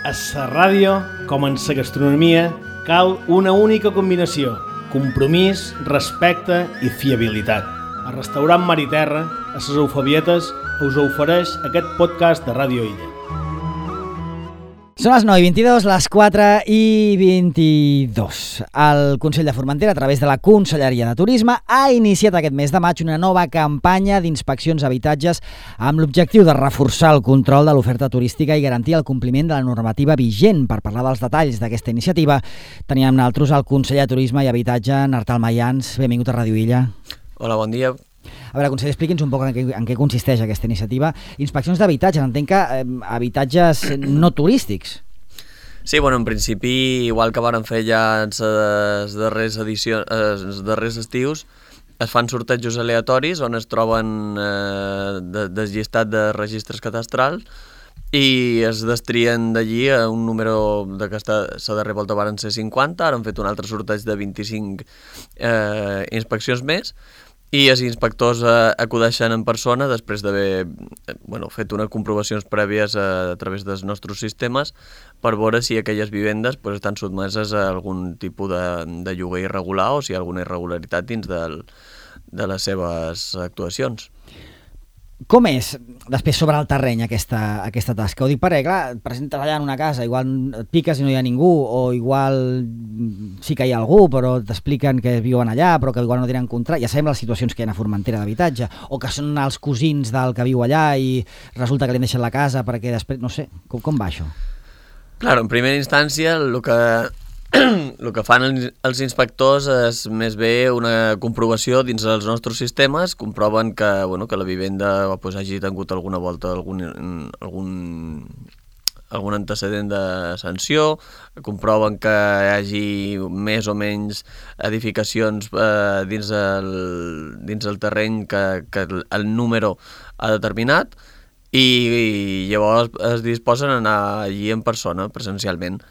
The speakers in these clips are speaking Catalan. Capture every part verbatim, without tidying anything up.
A la ràdio, com en la gastronomia, cal una única combinació: compromís, respecte i fiabilitat. El restaurant Mar i Terra, a les Eufabietes, us ofereix aquest podcast de Ràdio Illa. Són les nou i vint-i-dos, les quatre i vint-i-dos. El Consell de Formentera, a través de la Conselleria de Turisme, ha iniciat aquest mes de maig una nova campanya d'inspeccions a habitatges amb l'objectiu de reforçar el control de l'oferta turística i garantir el compliment de la normativa vigent. Per parlar dels detalls d'aquesta iniciativa, teníem amb nosaltres el conseller de Turisme i Habitatge, Artal Mayans. Benvingut a Ràdio Illa. Hola, bon dia. A veure, conseller, expliqui'ns un poc en què, en què consisteix aquesta iniciativa. Inspeccions d'habitatges, entenc que eh, habitatges no turístics. Sí, bueno, en principi, igual que varen fer ja els darrers, edicions, els darrers estius, es fan sortejos aleatoris on es troben eh, de, desllistat de registres catastrals i es destrien d'allí a un número de que s'ha darrer volta varen ser cinquanta, ara han fet un altre sorteig de vint-i-cinc eh, inspeccions més, i els inspectors eh, acudeixen en persona després d'haver eh, bueno, fet unes comprovacions prèvies a, a través dels nostres sistemes per veure si aquelles vivendes pues, estan sotmeses a algun tipus de, de lloguer irregular o si hi ha alguna irregularitat dins del, de les seves actuacions. Com és, després, sobre el terreny, aquesta, aquesta tasca? Ho dic perquè, clar, et presentes allà en una casa, igual et piques i no hi ha ningú, o igual sí que hi ha algú, però t'expliquen que viuen allà, però que igual no tenen contracte. Ja sabem les situacions que hi ha a Formentera d'habitatge, o que són els cosins del que viu allà i resulta que li han deixat la casa perquè després... No sé, com, com va això? Clar, en primera instància, el que... el que fan els inspectors és més bé una comprovació dins dels nostres sistemes, comproven que, bueno, que la vivenda pues, hagi tingut alguna volta algun, algun, algun antecedent de sanció, comproven que hi hagi més o menys edificacions eh, dins, el, dins el terreny que, que el número ha determinat i, i llavors es disposen a anar allí en persona, presencialment.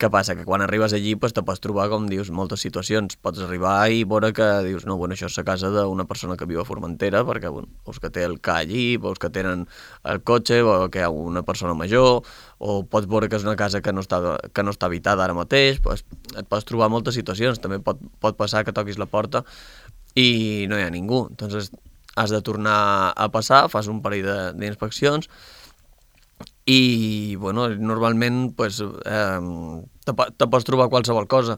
Què passa? Que quan arribes allí pues, te pots trobar, com dius, moltes situacions. Pots arribar i veure que dius, no, bueno, això és la casa d'una persona que viu a Formentera, perquè bueno, veus que té el ca allí, veus que tenen el cotxe, veus que hi ha una persona major, o pots veure que és una casa que no està, que no està habitada ara mateix, pues, et pots trobar moltes situacions. També pot, pot passar que toquis la porta i no hi ha ningú. Entonces has de tornar a passar, fas un parell d'inspeccions, i bueno, normalment pues, eh, te, te pots trobar qualsevol cosa.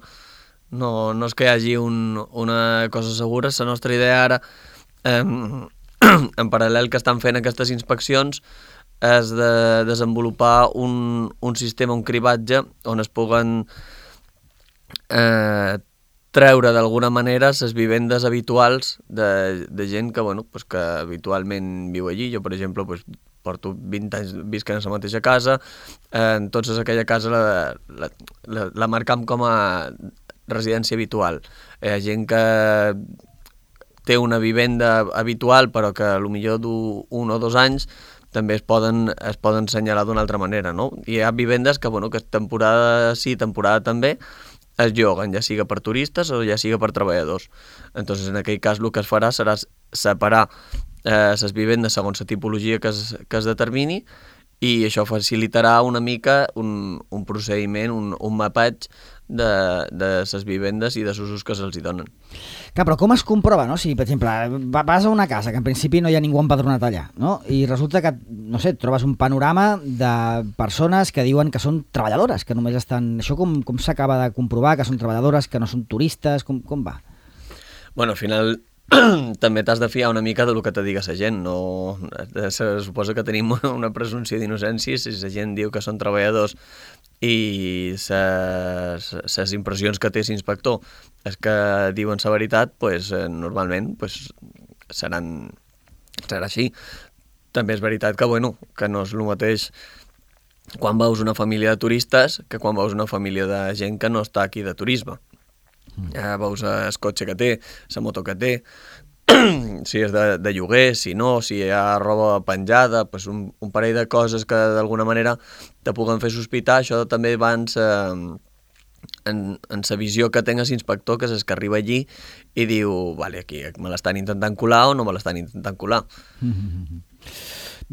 No, no és que hi hagi un, una cosa segura. La nostra idea ara, eh, en paral·lel que estan fent aquestes inspeccions, és de desenvolupar un, un sistema, un cribatge, on es puguen eh, treure d'alguna manera les vivendes habituals de, de gent que, bueno, pues que habitualment viu allí. Jo, per exemple, pues, porto vint anys visquent a la mateixa casa, eh, entonces aquella casa la, la, la, la marcam com a residència habitual. Hi ha gent que té una vivenda habitual però que potser du un o dos anys també es poden, es poden assenyalar d'una altra manera, no? I hi ha vivendes que, bueno, que temporada sí, temporada també, es lloguen, ja siga per turistes o ja siga per treballadors. Entonces, en aquell cas el que es farà serà separar les eh, vivendes segons la tipologia que es, que es determini i això facilitarà una mica un, un procediment, un, un mapatge de, de les vivendes i dels usos que se'ls hi donen. Clar, però com es comprova, no? Si, per exemple, vas a una casa que en principi no hi ha ningú empadronat allà, no? I resulta que, no sé, trobes un panorama de persones que diuen que són treballadores, que només estan... Això com, com s'acaba de comprovar, que són treballadores, que no són turistes, com, com va? Bueno, al final... també t'has de fiar una mica del que te diga la gent. No, se suposa que tenim una presumpció d'innocència si la gent diu que són treballadors i les impressions que té l'inspector és que diuen la veritat, pues, normalment pues, seran, serà així. També és veritat que, bueno, que no és el mateix quan veus una família de turistes que quan veus una família de gent que no està aquí de turisme. Ja veus el cotxe que té, la moto que té, si és de, de lloguer, si no, si hi ha roba penjada, pues un, un parell de coses que d'alguna manera te puguen fer sospitar. Això també va en sa, en, en sa visió que tenga l'inspector, que és que arriba allí i diu, vale, aquí me l'estan intentant colar o no me l'estan intentant colar. Mm-hmm.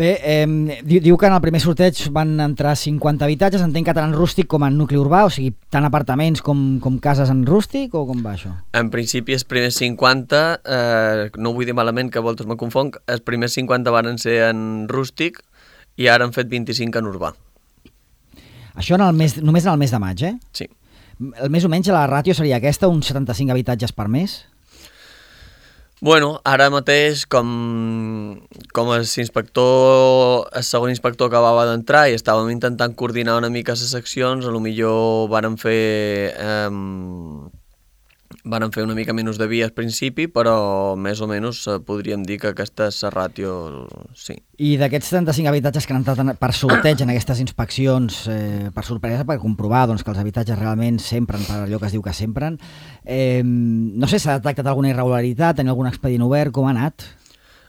Bé, eh, diu, diu que en el primer sorteig van entrar cinquanta habitatges, entenc que tant en rústic com en nucli urbà, o sigui, tant apartaments com, com cases en rústic, o com va això? En principi els primers cinquanta, eh, no vull dir malament que a voltes me confonc, els primers cinquanta van ser en rústic i ara han fet vint-i-cinc en urbà. Això en el mes, només en el mes de maig, eh? Sí. El més o menys la ràtio seria aquesta, uns setanta-cinc habitatges per mes? Bueno, ara mateix, com, com el inspector, el segon inspector acabava d'entrar i estàvem intentant coordinar una mica les seccions, a lo millor vàrem fer, eh, vàrem fer una mica menys de via al principi, però més o menys podríem dir que aquesta és la ràtio, sí. I d'aquests setanta-cinc habitatges que han entrat per sorteig en aquestes inspeccions, eh, per sorpresa, per comprovar doncs, que els habitatges realment s'empren per allò que es diu que s'empren, eh, no sé, s'ha detectat alguna irregularitat, tenir algun expedient obert, com ha anat?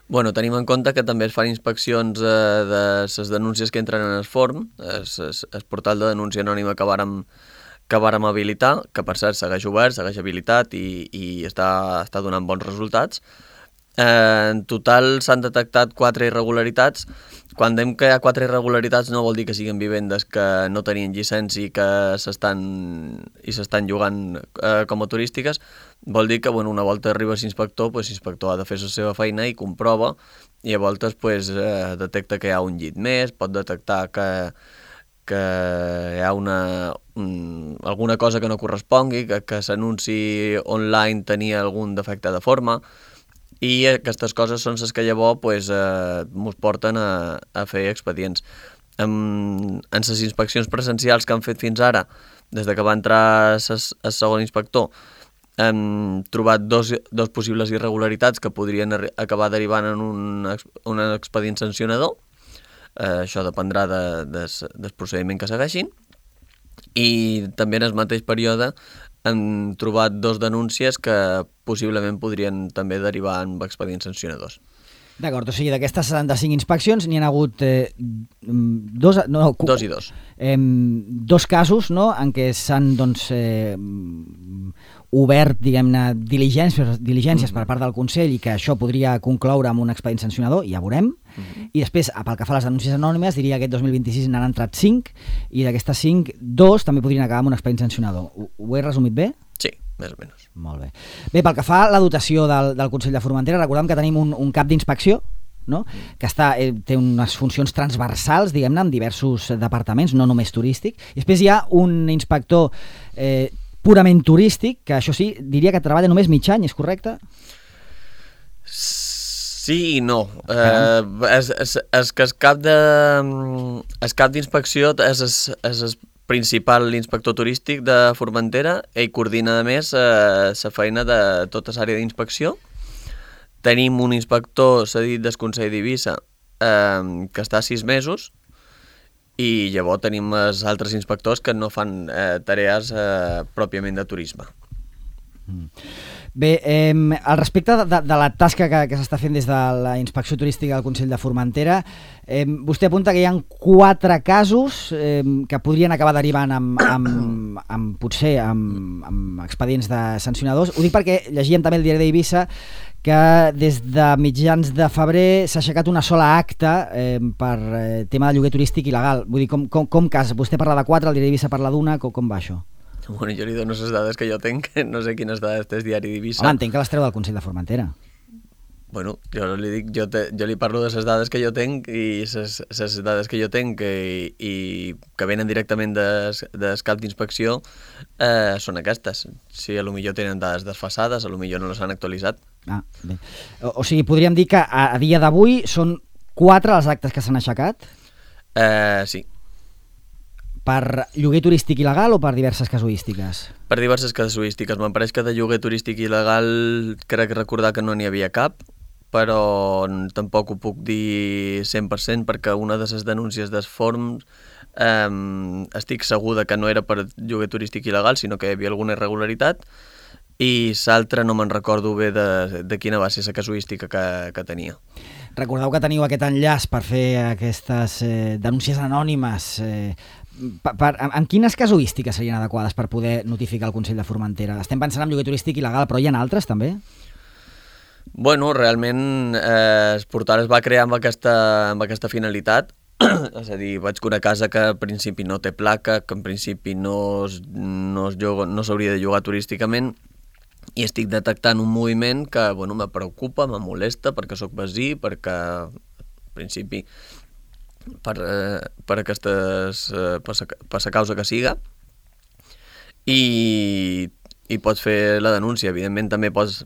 Bueno, tenim en compte que també es fan inspeccions eh, de les denúncies que entren en el forn, el, el portal de denúncia anònima que vàrem, que vàrem habilitar, que per cert segueix obert, segueix habilitat i, i està, està donant bons resultats. Eh, en total s'han detectat quatre irregularitats. Quan diem que hi ha quatre irregularitats no vol dir que siguin vivendes que no tenien llicència i que s'estan i s'estan llogant eh, com a turístiques. Vol dir que bueno, una volta arriba l'inspector, pues, l'inspector ha de fer la seva feina i comprova, i a voltes pues, eh, detecta que hi ha un llit més, pot detectar que que hi ha una, un, alguna cosa que no correspongui, que, que l'anunci online tenia algun defecte de forma, i aquestes coses són les que llavors pues, eh, ens porten a, a fer expedients. En, en les inspeccions presencials que han fet fins ara, des de que va entrar el segon inspector, hem trobat dos, dos possibles irregularitats que podrien acabar derivant en un, un expedient sancionador. Uh, això dependrà de, de, del procediment que segueixin, i també en el mateix període hem trobat dos denúncies que possiblement podrien també derivar en expedients sancionadors. D'acord, o sigui, d'aquestes setanta-cinc inspeccions n'hi ha hagut eh, dos, no, dos i dos. Eh, dos casos, no?, en què s'han doncs, eh, obert, diguem-ne, diligències, diligències mm-hmm. per part del Consell, i que això podria concloure amb un expedient sancionador, ja veurem. Mm-hmm. I després, pel que fa a les denúncies anònimes, diria que aquest dos mil vint-i-sis n'han entrat cinc, i d'aquestes cinc, dos també podrien acabar amb un expedient sancionador. Ho, ho he resumit bé? Sí, més o menys. Molt bé. Bé, pel que fa a la dotació del, del Consell de Formentera, recordem que tenim un, un cap d'inspecció, no?, que està, eh, té unes funcions transversals, diguem-ne, en diversos departaments, no només turístic. I després hi ha un inspector eh, purament turístic, que això sí, diria que treballa només mig any, és correcte? Sí i no. Eh, és, és, és que el cap de, el cap d'inspecció és, és, és el principal inspector turístic de Formentera. Ell coordina, a més, eh, la feina de tota l'àrea d'inspecció. Tenim un inspector cedit del Consell d'Eivissa eh, que està sis mesos, i llavors tenim els altres inspectors que no fan eh, tarees eh, pròpiament de turisme. Mm. Bé, eh, al respecte de, de la tasca que, que s'està fent des de la Inspecció Turística del Consell de Formentera, eh, vostè apunta que hi ha quatre casos eh, que podrien acabar derivant amb, amb, amb potser amb, amb expedients de sancionadors. Ho dic perquè llegíem també el diari d'Eivissa que des de mitjans de febrer s'ha aixecat una sola acta eh, per eh, tema de lloguer turístic il·legal. Vull dir, com, com, com cas? Vostè parla de quatre, el diari d'Eivissa parla d'una, com, com va això? Bueno, jo li dono les dades que jo tenc, no sé quines dades té el diari d'Eivissa. Home, entenc que les treu del Consell de Formentera. Bueno, jo li dic, jo, te, jo li parlo de les dades que jo tenc, i les dades que jo tenc i, i que venen directament des, des cap d'inspecció eh, són aquestes. Si a lo millor tenen dades desfasades, a lo millor no les han actualitzat. Ah, bé. O, o sigui, podríem dir que a, a dia d'avui són quatre els actes que s'han aixecat? Eh, sí. Per lloguer turístic il·legal o per diverses casuístiques? Per diverses casuístiques. Me'n pareix que de lloguer turístic il·legal crec recordar que no n'hi havia cap, però tampoc ho puc dir cent per cent perquè una de les denúncies dels forms eh, estic segur que no era per lloguer turístic il·legal, sinó que hi havia alguna irregularitat, i l'altra no me'n recordo bé de, de quina va ser la casuística que, que tenia. Recordeu que teniu aquest enllaç per fer aquestes eh, denúncies anònimes. Eh, per, per, en, en quines casuístiques serien adequades per poder notificar el Consell de Formentera? Estem pensant en lloguer turístic il·legal, però hi ha altres també? Bueno, realment eh, el portal es va crear amb aquesta, amb aquesta finalitat. És a dir, vaig que una casa que en principi no té placa, que en principi no, es, no, es lloga, no s'hauria de llogar turísticament, i estic detectant un moviment que bueno, me preocupa, me molesta, perquè sóc veí, perquè en principi per, eh, per aquestes eh, per, per la causa que siga, i, i pots fer la denúncia. Evidentment també pots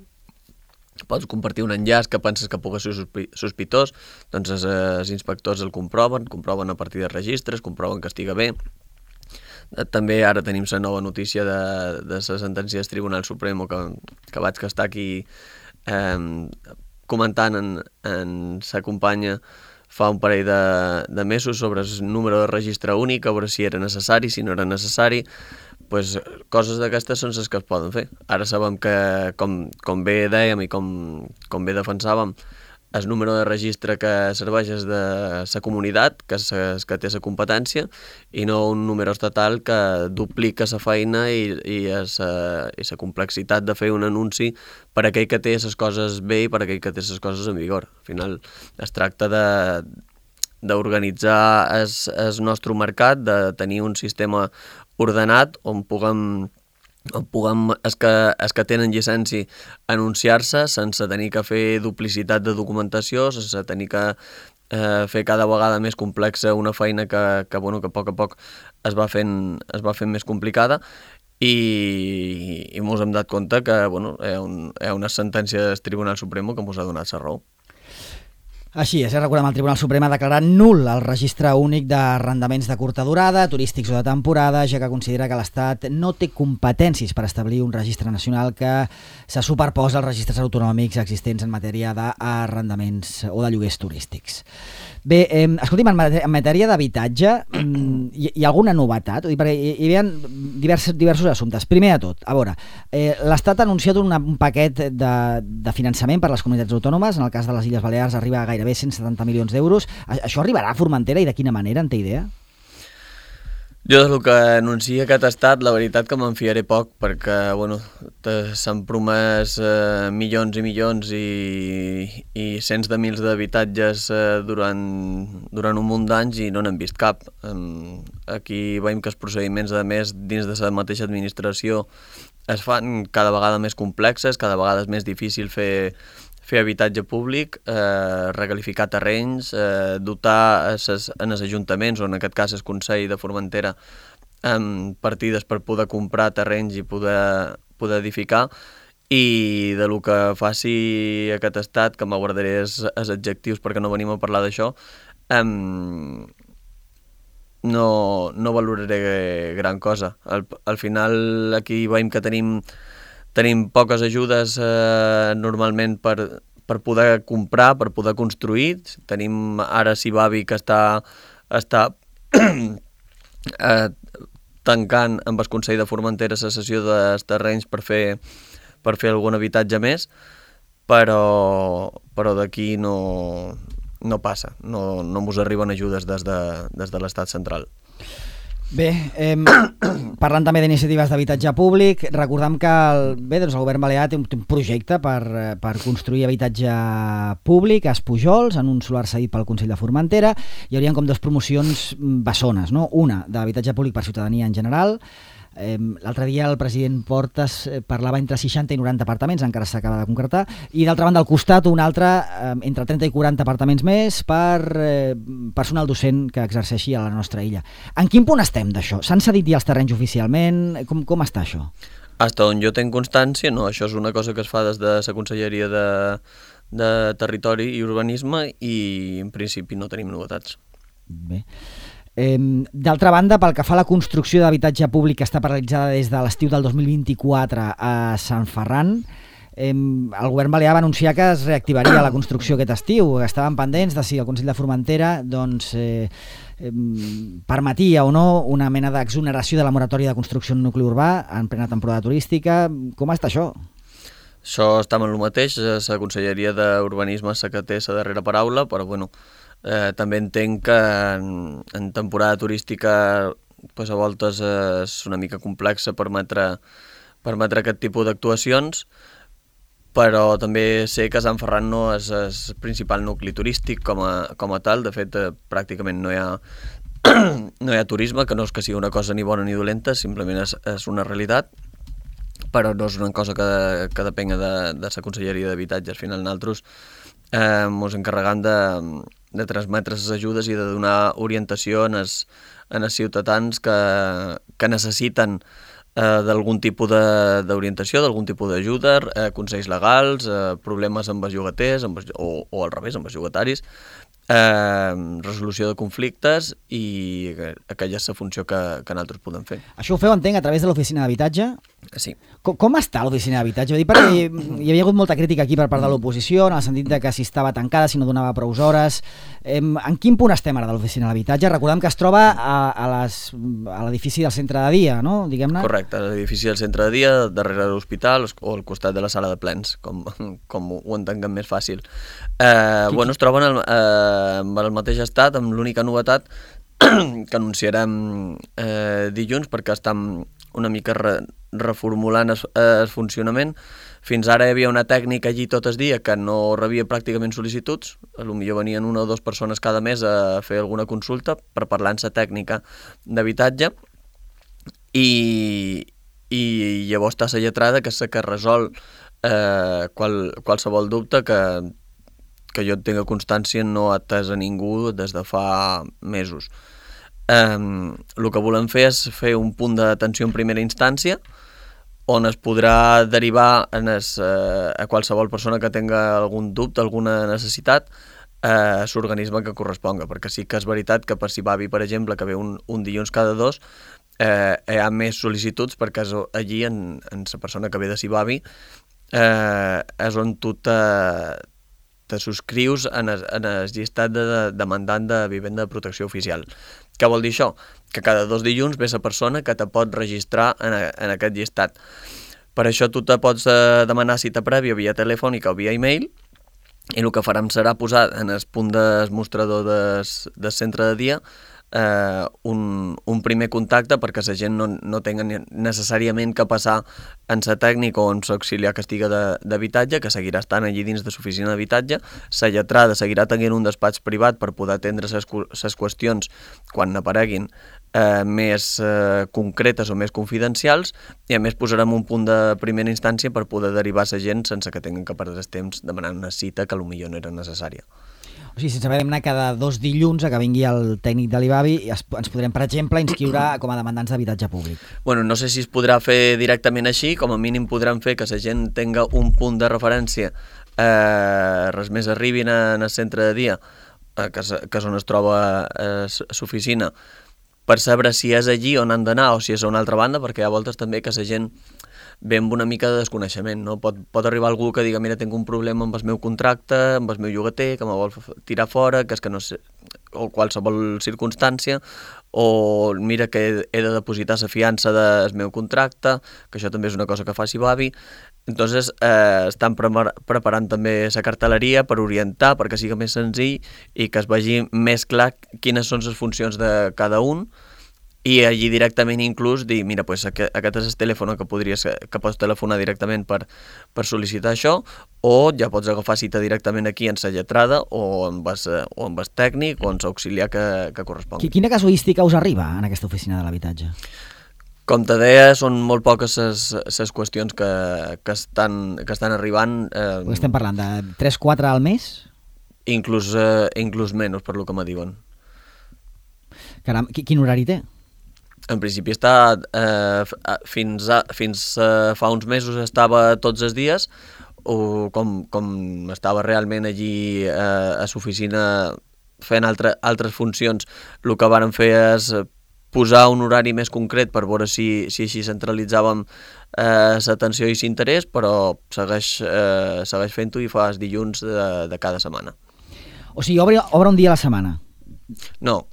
pots compartir un enllaç que penses que pugui ser sospitós, doncs els, els inspectors el comproven, comproven a partir de registres, comproven que estiga bé. També ara tenim la nova notícia de, de la sentència del Tribunal Suprem que, que vaig estar aquí eh, comentant en, en sa companya fa un parell de, de mesos sobre el número de registre únic, a veure si era necessari, si no era necessari. Pues, coses d'aquestes són les que es poden fer. Ara sabem que, com, com bé dèiem i com, com bé defensàvem, el número de registre que serveix és de la comunitat, que és el que té la competència, i no un número estatal que duplica la feina i, i la complexitat de fer un anunci per a aquell que té les coses bé i per a aquell que té les coses en vigor. Al final es tracta de d'organitzar el, el nostre mercat, de tenir un sistema ordenat on puguem, on puguem els, que, els que tenen llicència anunciar-se sense tenir que fer duplicitat de documentació, sense tenir que eh, fer cada vegada més complexa una feina que, que, bueno, que a poc a poc es va fent, es va fent més complicada, i, i mos hem dat compte que bueno, hi ha, un, hi ha una sentència del Tribunal Suprem que mos ha donat la raó. Així és, recordem, el Tribunal Suprem ha declarat nul el registre únic d'arrendaments de curta durada, turístics o de temporada, ja que considera que l'Estat no té competències per establir un registre nacional que se superposa als registres autonòmics existents en matèria d'arrendaments o de lloguers turístics. Bé, eh, escolti'm, en matèria d'habitatge, hi, hi ha alguna novetat? Ho dic perquè hi, hi havia diversos, diversos assumptes. Primer de tot, a veure, eh, l'Estat ha anunciat una, un paquet de, de finançament per a les comunitats autònomes. En el cas de les Illes Balears arriba a gairebé cent setanta milions d'euros. Això arribarà a Formentera i de quina manera, en té idea? Jo del que anuncia aquest estat, la veritat que me'n fiaré poc, perquè bueno, s'han promès eh, milions i milions i, i cents de mils d'habitatges eh, durant, durant un munt d'anys i no n'hem vist cap. Um, aquí veiem que els procediments, a més, dins de la mateixa administració es fan cada vegada més complexes, cada vegada és més difícil fer fer habitatge públic, eh, recalificar terrenys, eh, dotar ses, en els ajuntaments, o en aquest cas el Consell de Formentera, amb partides per poder comprar terrenys i poder, poder edificar, i de lo que faci aquest estat, que m'aguardaré els, els adjectius perquè no venim a parlar d'això, eh, no, no valoraré gran cosa. Al, al final aquí veiem que tenim Tenim poques ajudes eh, normalment per, per poder comprar, per poder construir. Tenim ara Sibavi que està, està eh, tancant amb el Consell de Formentera la cessió dels terrenys per fer, per fer algun habitatge més, però, però d'aquí no, no passa, no, no mos arriben ajudes des de, des de l'estat central. Bé, eh, parlant també d'iniciatives d'habitatge públic, recordem que el, bé, doncs el govern balear té un, té un projecte per, per construir habitatge públic a Espujols, en un solar cedit pel Consell de Formentera. Hi haurien com dues promocions bessones, no? Una d'habitatge públic per ciutadania en general. Eh, l'altre dia el president Portas eh, parlava entre seixanta i noranta apartaments, encara s'acaba de concretar, i d'altra banda al costat un altre eh, entre trenta i quaranta apartaments més per eh, personal docent que exerceixi a la nostra illa. En quin punt estem d'això? S'han cedit ja els terrenys oficialment? Com, com està això? Hasta on jo tenc constància, no. Això és una cosa que es fa des de la Conselleria de, de Territori i Urbanisme i en principi no tenim novetats. Bé. Eh, d'altra banda, pel que fa a la construcció d'habitatge públic que està paralitzada des de l'estiu del dos mil vint-i-quatre a Sant Ferran, eh, el govern balear va anunciar que es reactivaria la construcció aquest estiu. Estaven pendents de si el Consell de Formentera doncs, eh, eh, permetia o no una mena d'exoneració de la moratòria de construcció en nucli urbà en plena temporada turística. Com està això? Això està amb el mateix. La Conselleria d'Urbanisme és la que té la darrera paraula, però bueno, Eh, també entenc que en, en temporada turística pues, a voltes és una mica complexa permetre, permetre aquest tipus d'actuacions, però també sé que Sant Ferran no és el principal nucli turístic com a, com a tal. De fet, eh, pràcticament no hi ha no hi ha turisme, que no és que sigui una cosa ni bona ni dolenta, simplement és, és una realitat, però no és una cosa que, que depenga de, de la Conselleria d'Habitatge. Al final nosaltres eh, ens encarregam de, de transmetre les ajudes i de donar orientació en els, en els ciutadans que, que necessiten eh, d'algun tipus d'orientació, d'algun tipus d'ajuda, eh, consells legals, eh, problemes amb els llogaters, amb els, o, o al revés, amb els llogataris, Eh, resolució de conflictes i aquella és la funció que, que nosaltres podem fer. Això ho feu, entenc, a través de l'oficina d'habitatge? Sí. Com, com està l'oficina d'habitatge? Vull dir, perquè hi havia hagut molta crítica aquí per part de l'oposició, en el sentit de que si estava tancada, si no donava prou hores. Eh, en quin punt estem ara de l'oficina d'habitatge? Recordem que es troba a, a les, a l'edifici del centre de dia, no? Diguem-ne. Correcte, l'edifici del centre de dia, darrere de l'hospital o al costat de la sala de plens, com, com ho entenguem més fàcil. Eh, bueno, es troben al, eh, amb el mateix estat, amb l'única novetat que anunciarem eh, dilluns, perquè estem una mica re, reformulant el, el funcionament. Fins ara hi havia una tècnica allí tot el dia que no rebia pràcticament sol·licituds, potser venien una o dues persones cada mes a fer alguna consulta per parlar en la tècnica d'habitatge, i, i llavors està la lletrada, que és la que resol eh, qual, qualsevol dubte que que jo tinga constància no ha atès a ningú des de fa mesos. Eh, el que volem fer és fer un punt d'atenció en primera instància on es podrà derivar en es, eh, a qualsevol persona que tinga algun dubte, alguna necessitat, eh, a l'organisme que corresponga, perquè sí que és veritat que per Sibavi, per exemple, que ve un, un dilluns cada dos, eh, hi ha més sol·licituds, perquè és allí, en, en la persona que ve de Sibavi, eh, és on tu te... te subscrius en el, en el llistat de, de demandant de vivenda de protecció oficial. Què vol dir això? Que cada dos dilluns ve la persona que te pot registrar en, a, en aquest llistat. Per això tu te pots eh, demanar cita prèvia via telefònica o via e-mail, i el que farem serà posar en el punt del mostrador del, del centre de dia eh, un, un primer contacte perquè la gent no, no tenga necessàriament que passar en la tècnica o en l'auxiliar que estiga d'habitatge, que seguirà estant allí dins de l'oficina d'habitatge. La lletrada seguirà tenint un despatx privat per poder atendre les qüestions quan n'apareguin eh, més eh, concretes o més confidencials, i a més posarem un punt de primera instància per poder derivar la gent sense que tinguin que perdre el temps demanant una cita que potser no era necessària. O sigui, sense haver d'anar cada dos dilluns a que vingui el tècnic de l'I B A B I, ens podrem, per exemple, inscriure com a demandants d'habitatge públic. Bueno, no sé si es podrà fer directament així, com a mínim podrem fer que la gent tinga un punt de referència, eh, res més arribin en el centre de dia, eh, que, és, que és on es troba eh, l'oficina, per saber si és allí on han d'anar o si és a una altra banda, perquè hi ha voltes també que la gent ve amb una mica de desconeixement, no? Pot, pot arribar algú que diga, mira, tinc un problema amb el meu contracte, amb el meu llogater, que me vol tirar fora, que és que no sé, o qualsevol circumstància, o mira que he de depositar la fiança del meu contracte, que això també és una cosa que fa Sibavi. Entonces, eh, estan pre preparant també la cartelleria per orientar, perquè sigui més senzill i que es vegi més clar quines són les funcions de cada un, i allí directament inclús dir, mira, pues, aquest és el telèfon que, podries, que pots telefonar directament per, per sol·licitar això, o ja pots agafar cita directament aquí en la lletrada o amb el, o amb el tècnic o amb l'auxiliar que, que correspongui. Quina casuística us arriba en aquesta oficina de l'habitatge? Com te deia, són molt poques les qüestions que, que, estan, que estan arribant. Eh, estem parlant de tres quatre al mes? Inclús, eh, inclús menys, per lo que me diuen. Caram, quin horari té? En principi està, eh, fins, a, fins a fa uns mesos estava tots els dies, o com, com estava realment allí eh, a l'oficina fent altre, altres funcions, el que vàrem fer és posar un horari més concret per veure si, si així centralitzàvem eh, l'atenció i l'interès, però segueix, eh, segueix fent-ho i fa els dilluns de, de cada setmana. O sigui, obre, obre un dia a la setmana? No.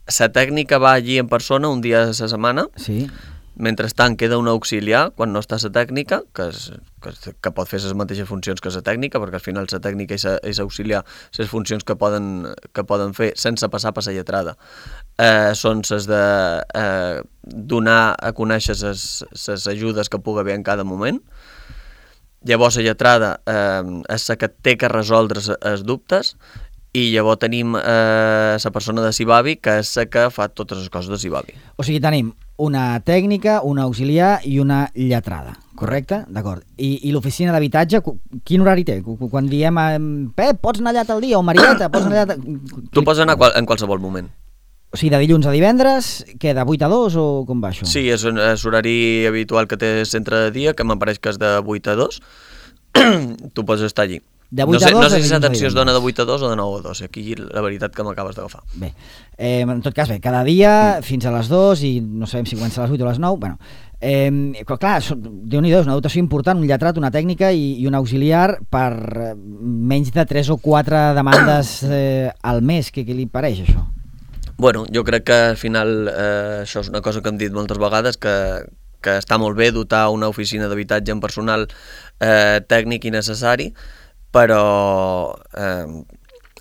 La tècnica va allí en persona un dia a la setmana, sí. Mentrestant queda un auxiliar quan no està la tècnica, que, és, que, que pot fer les mateixes funcions que la tècnica, perquè al final la tècnica i l'auxiliar les funcions que poden, que poden fer sense passar per la lletrada eh, són les de eh, donar a conèixer les ajudes que pugui haver en cada moment, llavors la lletrada eh, és la que té que resoldre els dubtes, i llavors tenim eh, la persona de Sibavi, que és la que fa totes les coses de Sibavi. O sigui, tenim una tècnica, una auxiliar i una lletrada, correcte? D'acord. I, i l'oficina d'habitatge, quin horari té? Quan diem, Pep, pots anar allà tal dia, o Marieta, pots anar allà... Tu pots anar en qualsevol moment. O sigui, de dilluns a divendres, què, de vuit a dos o com va això? Sí, és, és horari habitual que té centre de dia, que m'apareix que és de vuit a dos. Tu pots estar allí. De vuit no sé, a dos, no sé si l'atenció es dona de vuit a dos o de nou a dos. Aquí la veritat que m'acabes d'agafar. Bé, eh, en tot cas, bé, cada dia fins a les dos i no sabem si comença a les vuit o a les nou. Bueno, eh, clar, Déu-n'hi-do, és una dotació important, un lletrat, una tècnica i, i un auxiliar per menys de tres o quatre demandes eh, al mes. Què, què li pareix, això? Bueno, jo crec que al final eh, això és una cosa que hem dit moltes vegades, que, que està molt bé dotar una oficina d'habitatge en personal eh, tècnic i necessari, però eh,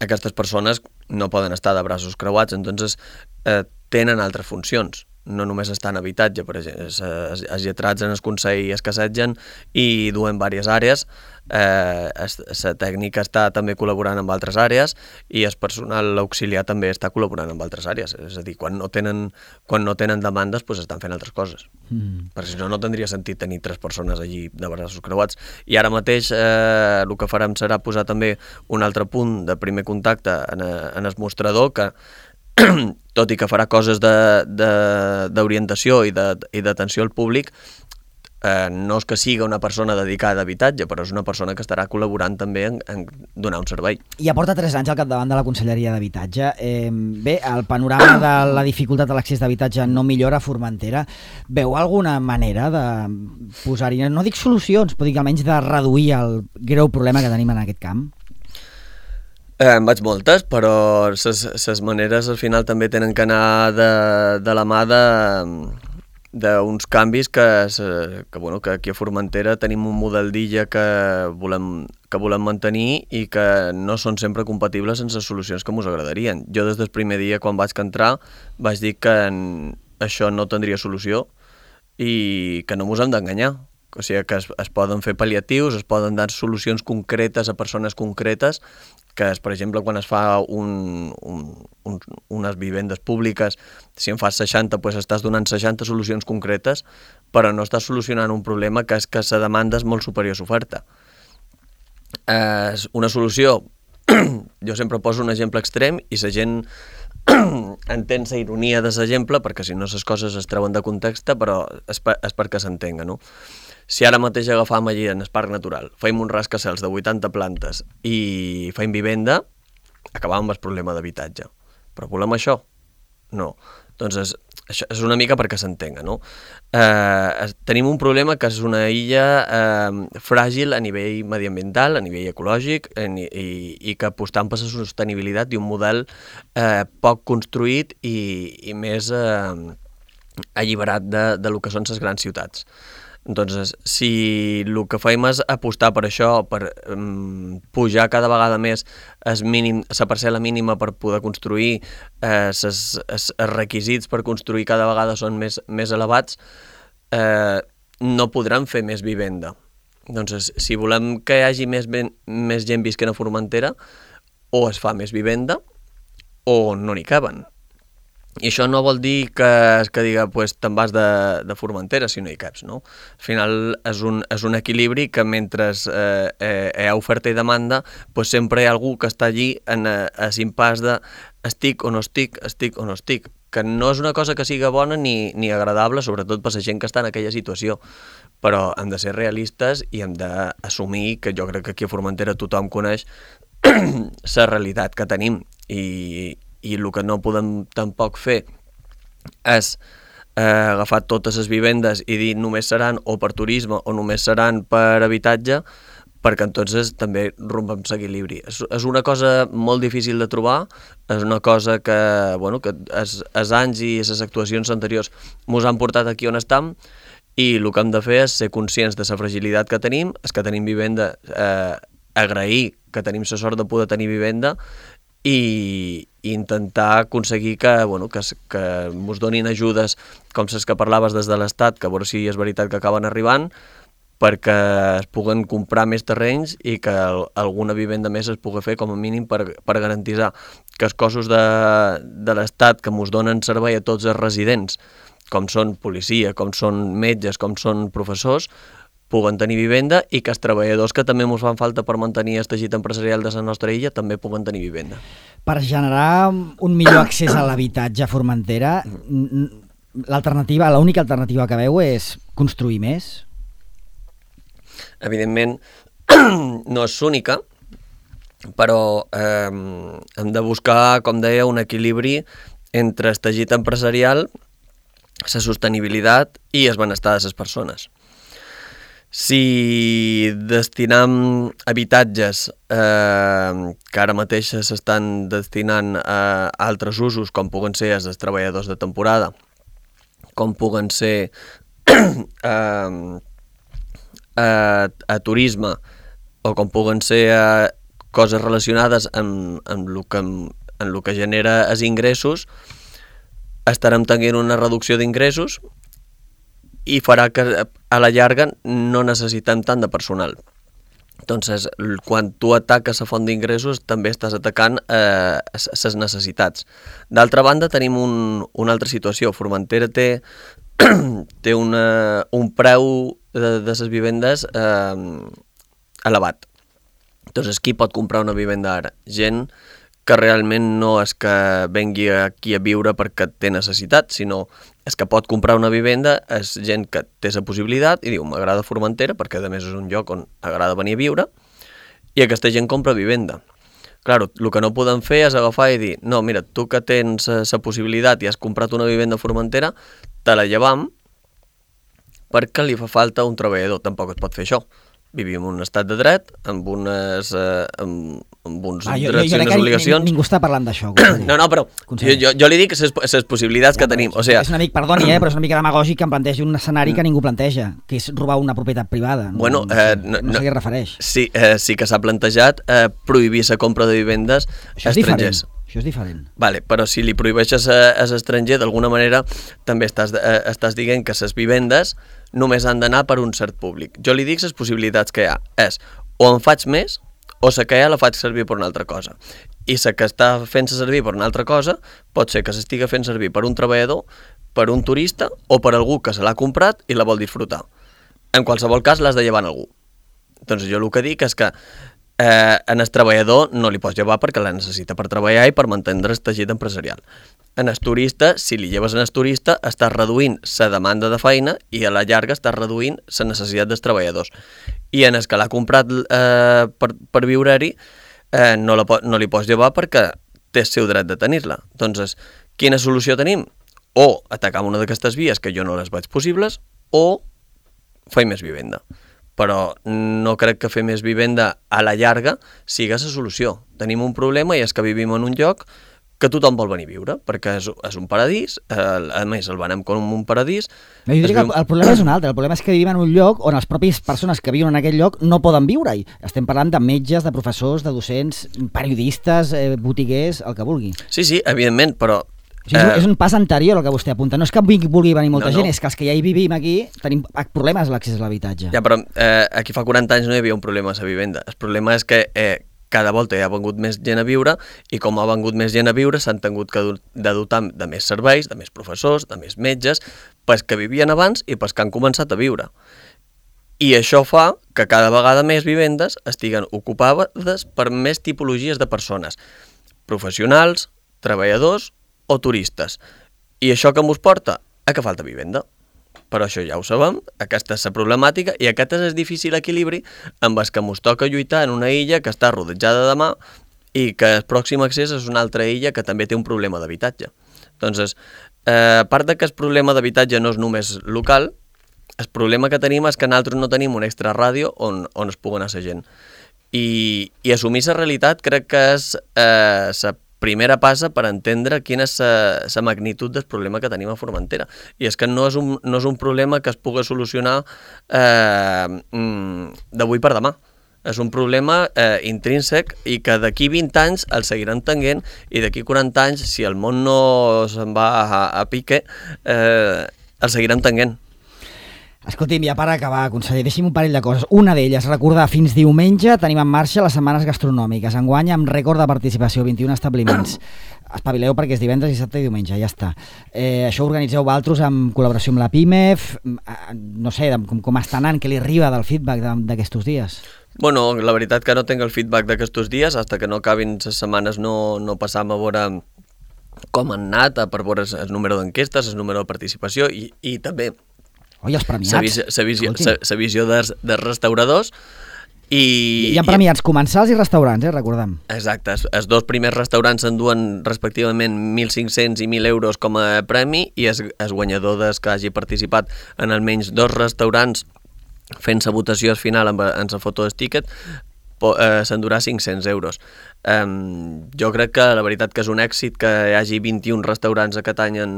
aquestes persones no poden estar de braços creuats, entonces eh, tenen altres funcions. No només estan en habitatge, per exemple, els lletrats en el Consell es cassetgen i duen diverses àrees, eh, la tècnica està també col·laborant amb altres àrees i el personal auxiliar també està col·laborant amb altres àrees, és a dir, quan no tenen, quan no tenen demandes doncs estan fent altres coses, mm. perquè si no, no tindria sentit tenir tres persones allí de braços creuats. I ara mateix eh, el que farem serà posar també un altre punt de primer contacte en, en el mostrador que tot i que farà coses d'orientació i d'atenció al públic, eh, no és que siga una persona dedicada a habitatge, però és una persona que estarà col·laborant també en, en donar un servei. I ja porta tres anys al capdavant de la Conselleria d'Habitatge. Eh, bé, el panorama de la dificultat a l'accés d'habitatge no millora a Formentera. Veu alguna manera de posar-hi, no dic solucions, però dic almenys de reduir el greu problema que tenim en aquest camp? Eh, en vaig moltes, però les maneres al final també tenen que anar de, de la mà d'uns canvis que, que, bueno, que aquí a Formentera tenim un model d'illa que volem, que volem mantenir i que no són sempre compatibles sense les solucions que ens agradarien. Jo des del primer dia quan vaig entrar vaig dir que això no tindria solució i que no ens hem d'enganyar. O sigui que es, es poden fer pal·liatius, es poden dar solucions concretes a persones concretes, que és, per exemple, quan es fa un, un, un, unes vivendes públiques, si en fas seixanta, doncs estàs donant seixanta solucions concretes, però no estàs solucionant un problema que és que la demanda és molt superior a l'oferta. Eh, una solució, jo sempre poso un exemple extrem i la gent entén la ironia de l'exemple, perquè si no les coses es treuen de context, però és, per, és perquè s'entenga, no? Si ara mateix agafam allí en el Parc Natural, feim un rascacels de vuitanta plantes i feim vivenda, acabam amb el problema d'habitatge. Però volem això? No. Doncs és, això és una mica perquè s'entenga, no? Eh, tenim un problema que és una illa eh, fràgil a nivell mediambiental, a nivell ecològic, en, i, i que apostant per la sostenibilitat i un model eh, poc construït i, i més eh, alliberat de, de lo que són les grans ciutats. Doncs si el que fem és apostar per això, per um, pujar cada vegada més la parcel·la mínima per poder construir, eh, ses, els requisits per construir cada vegada són més, més elevats, eh, no podran fer més vivenda. Doncs si volem que hi hagi més, ben, més gent visquent a Formentera, o es fa més vivenda o no n'hi caben. I això no vol dir que, que diga pues, te'n vas de, de Formentera si no hi caps, no? Al final és un, és un equilibri que mentre eh, eh, hi ha oferta i demanda pues, sempre hi ha algú que està allí en l'impàs de estic o no estic, estic o no estic, que no és una cosa que siga bona ni, ni agradable, sobretot per la gent que està en aquella situació, però hem de ser realistes i hem d'assumir que jo crec que aquí a Formentera tothom coneix la realitat que tenim i i el que no podem tampoc fer és eh, agafar totes les vivendes i dir només seran o per turisme o només seran per habitatge, perquè entonces també rompem l'equilibri. És, és una cosa molt difícil de trobar, és una cosa que, bueno, que els, els anys i les actuacions anteriors ens han portat aquí on estem i el que hem de fer és ser conscients de la fragilitat que tenim, és que tenim vivenda, eh, agrair que tenim la sort de poder tenir vivenda i intentar aconseguir que, bueno, que, que ens donin ajudes com les que parlaves des de l'Estat, que a veure si és veritat que acaben arribant, perquè es puguen comprar més terrenys i que alguna vivenda més es pugui fer com a mínim per, per garantir que els cossos de, de l'Estat que ens donen servei a tots els residents, com són policia, com són metges, com són professors, puguen tenir vivenda i que els treballadors que també ens fan falta per mantenir el teixit empresarial de la nostra illa també puguen tenir vivenda. Per generar un millor accés a l'habitatge a Formentera, l'alternativa, l'única alternativa que veu és construir més? Evidentment no és única, però eh, hem de buscar, com deia, un equilibri entre el teixit empresarial, la sostenibilitat i el benestar de les persones. Si destinam habitatges eh, que ara mateix s'estan destinant a altres usos, com puguen ser els dels treballadors de temporada, com puguen ser eh, a, a turisme, o com puguen ser a coses relacionades amb, amb, el que, amb el que genera els ingressos, estarem tenint una reducció d'ingressos i farà que a la llarga no necessitem tant de personal. Entonces, quan tu ataques la font d'ingressos, també estàs atacant eh, les necessitats. D'altra banda, tenim un, una altra situació. Formentera té, té una, un preu de, de les vivendes eh, elevat. Entonces, qui pot comprar una vivenda ara? Gent que realment no és que vengui aquí a viure perquè té necessitat, sinó és que pot comprar una vivenda, és gent que té la possibilitat i diu, m'agrada Formentera perquè a més és un lloc on agrada venir a viure, i aquesta gent compra vivenda. Claro, el que no podem fer és agafar i dir, no, mira, tu que tens la possibilitat i has comprat una vivenda a Formentera, te la llevam perquè li fa falta un treballador. Tampoc es pot fer això. Vivim en un estat de dret, amb unes, eh, amb, amb uns ah, jo, drets jo, jo i unes obligacions. Ningú està parlant d'això. No, no, però jo, jo, jo li dic les possibilitats ja, que tenim. O sigui, és una mica, perdoni, eh, però és una mica demagògic que em plantegi un escenari que ningú planteja, que és robar una propietat privada. No, bueno, no, eh, no, no, no sé què refereix. Sí, eh, sí que s'ha plantejat eh, prohibir la compra de vivendes a estrangers. Això és diferent. Vale, però si li prohibeixes a, a l'estranger, d'alguna manera també estàs, eh, estàs dient que les vivendes només han d'anar per un cert públic. Jo li dic les possibilitats que hi ha. És o en faig més o la que hi ha la faig servir per una altra cosa. I la que està fent-se servir per una altra cosa pot ser que s'estiga fent servir per un treballador, per un turista o per algú que se l'ha comprat i la vol disfrutar. En qualsevol cas l'has de llevar a algú. Doncs jo el que dic és que eh, en el treballador no li pots llevar perquè la necessita per treballar i per mantenir el teixit empresarial. En el turista, si li lleves en el turista, estàs reduint la demanda de feina i a la llarga estàs reduint la necessitat dels treballadors. I en el que l'ha comprat eh, per, per viure-hi, eh, no, la, no li pots llevar perquè té el seu dret de tenir-la. Doncs, quina solució tenim? O atacar una d'aquestes vies que jo no les veig possibles, o fer més vivenda. Però no crec que fer més vivenda a la llarga sigui la solució. Tenim un problema i és que vivim en un lloc que tothom vol venir a viure, perquè és, és un paradís, eh, a més el venem com un paradís. No, jo diria que el, el problema és un altre, el problema és que vivim en un lloc on les pròpies persones que viuen en aquest lloc no poden viure-hi. Estem parlant de metges, de professors, de docents, periodistes, eh, botiguers, el que vulgui. Sí, sí, evidentment, però... O sigui, eh... és un pas anterior el que vostè apunta. No és que vulgui venir molta no, gent, no. És que els que ja hi vivim aquí tenim problemes a l'accés a l'habitatge. Ja, però eh, aquí fa quaranta anys no hi havia un problema a la vivenda. El problema és que eh, cada volta hi ha vengut més gent a viure i com ha vengut més gent a viure s'han tingut que de dotar de més serveis, de més professors, de més metges, pels que vivien abans i pels que han començat a viure. I això fa que cada vegada més vivendes estiguen ocupades per més tipologies de persones, professionals, treballadors o turistes. I això que mos porta? A que falta vivenda. Però això ja ho sabem, aquesta és la problemàtica i aquest és el difícil equilibri amb el que ens toca lluitar en una illa que està rodejada de mar i que el pròxim accés és una altra illa que també té un problema d'habitatge. Doncs, eh, a part de que el problema d'habitatge no és només local, el problema que tenim és que nosaltres no tenim un extra ràdio on, on es pugui anar la gent. I, i assumir la realitat crec que és eh, la primera passa per entendre quina és la magnitud del problema que tenim a Formentera. I és que no és un, no és un problema que es pugui solucionar eh, d'avui per demà. És un problema eh, intrínsec i que d'aquí vint anys el seguiran tenint i d'aquí quaranta anys, si el món no se'n va a, a pique, eh, el seguiran tenint. Escolti'm, ja per acabar, conseller, deixi'm un parell de coses. Una d'elles, recordar, fins diumenge tenim en marxa les setmanes gastronòmiques. Enguany amb rècord de participació, vint i un establiments. Espavileu perquè és divendres, dissabte i diumenge, ja està. Eh, això ho organitzeu vosaltres en col·laboració amb la PIMEF. No sé, com, com està anant, què li arriba del feedback d'aquests dies? Bueno, la veritat que no tinc el feedback d'aquests dies, fins que no acabin les setmanes no, no passam a veure com han anat, per veure el número d'enquestes, el número de participació i, i també Oi, els premiats. La visió, la visió, la, la visió dels, dels restauradors i... Hi ha premiats comensals i restaurants, eh, recordem. Exacte, els, els dos primers restaurants s'enduen respectivament mil cinc-cents i mil euros com a premi i el, el guanyador des que hagi participat en almenys dos restaurants fent la votació final amb, amb la foto del tiquet eh, s'endurà cinc-cents euros. Um, jo crec que la veritat que és un èxit que hi hagi vint-i-un restaurants aquest any en,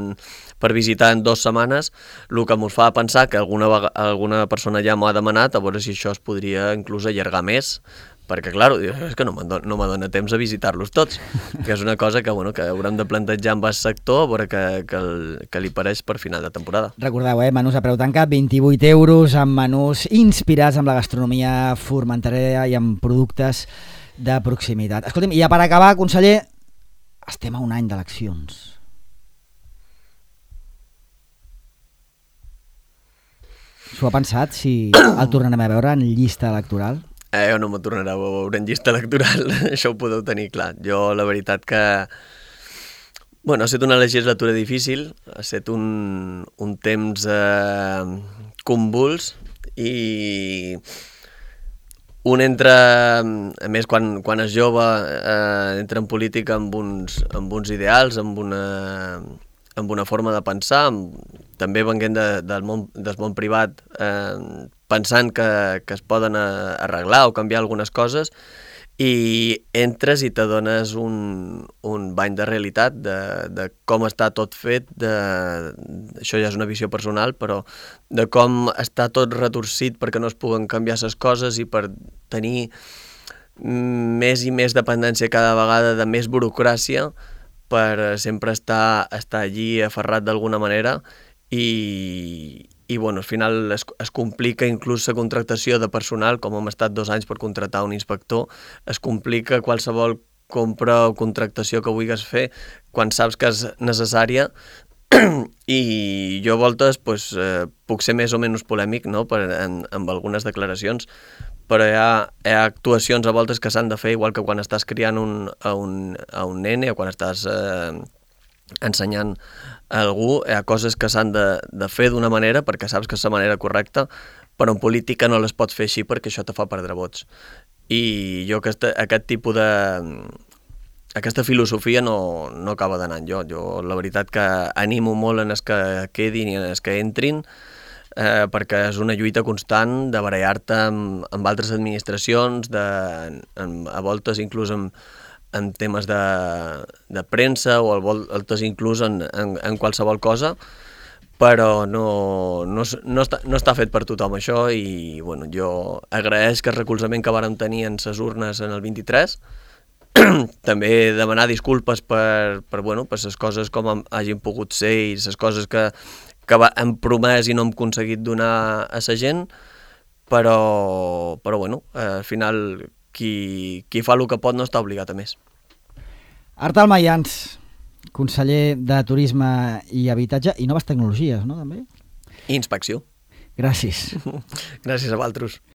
per visitar en dues setmanes, el que ens fa pensar que alguna, alguna persona ja m'ho ha demanat a veure si això es podria inclús allargar més, perquè clar, és que no m'adona temps a visitar-los tots, que és una cosa que, bueno, que haurem de plantejar amb el sector a veure que, que, el, que li pareix per final de temporada. Recordeu, eh, menús a preu tancat, vint-i-vuit euros, amb menús inspirats amb la gastronomia formenterera i amb productes de proximitat. Escolti'm, i ja per acabar, conseller, estem a un any d'eleccions. S'ho ha pensat, si el tornarem a veure en llista electoral? Eh, jo no m'ho tornaré a veure en llista electoral, això ho podeu tenir clar. Jo, la veritat que... Bueno, ha estat una legislatura difícil, ha estat un, un temps eh, convuls i... Un entra, a més, quan, quan és jove, eh, entra en política amb uns, amb uns ideals, amb una, amb una forma de pensar, amb, també venint de, del, món, del món privat, eh, pensant que, que es poden arreglar o canviar algunes coses, i entres i t'adones un, un bany de realitat de, de com està tot fet, de, això ja és una visió personal, però de com està tot retorcit perquè no es puguen canviar les coses i per tenir més i més dependència cada vegada de més burocràcia per sempre estar, estar allí aferrat d'alguna manera i... I bueno, al final es, es complica inclús la contractació de personal, com hem estat dos anys per contractar un inspector, es complica qualsevol compra o contractació que vulguis fer quan saps que és necessària i jo a voltes pues, eh, puc ser més o menys polèmic, no? per, en, amb algunes declaracions, però hi ha, hi ha actuacions a voltes que s'han de fer, igual que quan estàs criant un, a, un, a un nene o quan estàs eh, ensenyant a algú, hi ha coses que s'han de, de fer d'una manera perquè saps que és la manera correcta, però en política no les pots fer així perquè això te fa perdre vots. I jo aquesta, aquest tipus de... aquesta filosofia no, no acaba d'anar jo. Jo la veritat que animo molt en els que quedin i en els que entrin, eh, perquè és una lluita constant de barallar-te amb, amb altres administracions, de, amb, a voltes inclús amb en temes de, de premsa o al voltes inclús en, en, en qualsevol cosa, però no, no, no, està, no està fet per tothom això i bueno, jo agraeix que el recolzament que vàrem tenir en les urnes en el vint-i-tres, també demanar disculpes per, per, bueno, per les coses com hagin pogut ser i les coses que, que hem promès i no hem aconseguit donar a la gent, però, però bueno, al final qui, qui fa el que pot no està obligat a més. Artal Mayans, conseller de Turisme i Habitatge i Noves Tecnologies, no, també? I Inspecció. Gràcies. Gràcies a vosaltres.